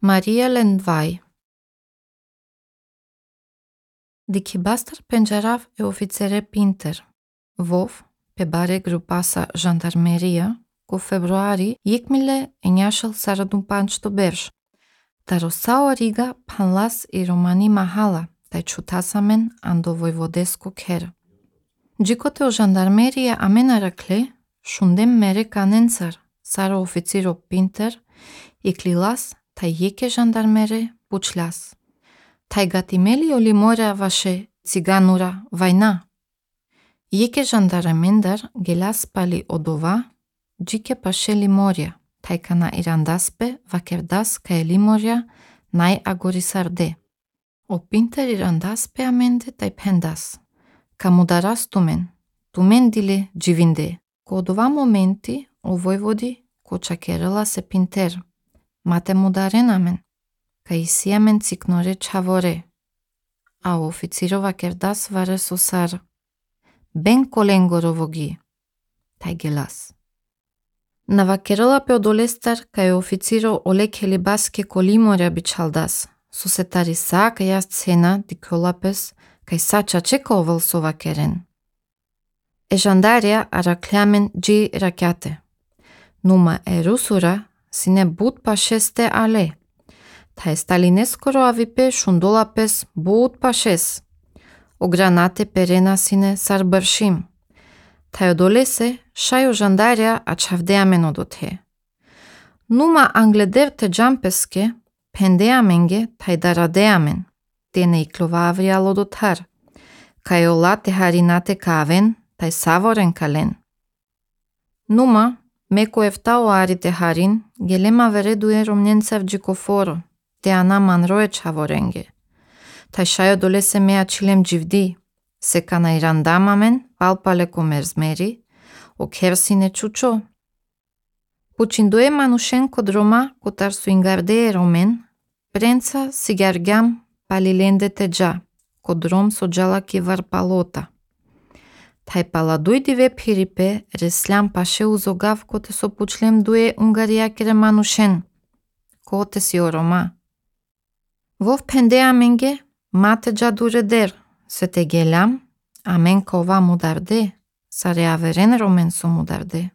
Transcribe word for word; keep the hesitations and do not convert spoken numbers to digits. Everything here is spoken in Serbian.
Maria Lendvaj. Diki bastër penxerav e oficere Pinter. Vov, pe bare grupasa Zhandarmeria, ku februari yikmile e njashëll sarëdun panç të bersh. Tarosao riga panlas i Romani Mahala, taj qutasamen ando vojvodesku kherë. Gjikote o Zhandarmeria amena rakle, shundem mere kanencar, sarë oficiro Pinter, i klilas taj jeke Zhandarmere puçlas. Taj gatimeli o limora vashe ciganura vajna. Jeke Zhandaramendar gelas pali odova, gjike pashe limoria, taj kana irandaspe vakerdas ka e limoria naj agorisarde. O Pinter irandaspe amende taj pendas. Ka mudaras tumen, tumen dile gjivinde. Ko odova momenti o vojvodi ko çakerëlla se Pinter. Mate mudaren amen. Ka isiamen ciknore çavore. A oficiro vakerdas vare sosar. Ben kolengorovogi. Taj gelas. Na vakerëlla pe odolestar ka e oficiro ole kelibaske kolimoria biçaldas. Susetari sa ka jast cena di kolapes ka sa çaçeka ovëlso vakeren. E Zhandarja arakleamen gji rakyate. Numa e rusura sine but pasheste ale. Ta e Stalineskoro avipe shundolapes but pashes. O granate perena sine sarbërshim. Ta e odolese shaj o Zhandarja a çavdeamen odothe. Numa angleder të gjampeske pendeamenge ta e daradeamen. Tene i klovavri alodotar. Ka e ola te harinate kaven ta e savoren kalen. Numa Meko efta o ari te harin, gelema veredu e romnjencav gjikoforo, te ana manroe çavorenge. Ta shajo dolese me açilem gjivdi, se kana irandamamen, palpale komerzmeri, o kersine çuço. Puçindoe Manushenko droma kotar suingarde e romen, prenca sigargam palilende te gja, kodrom so gjallaki varpalota. Taj paladuj dive piripe, reslam pashe uzogav kote so puçlem due ungariakere Manushen, kote si o Roma. Vov pendea menge, mate gjadure der, se te gelam, amen kova mudarde, sare averen romen so mudarde.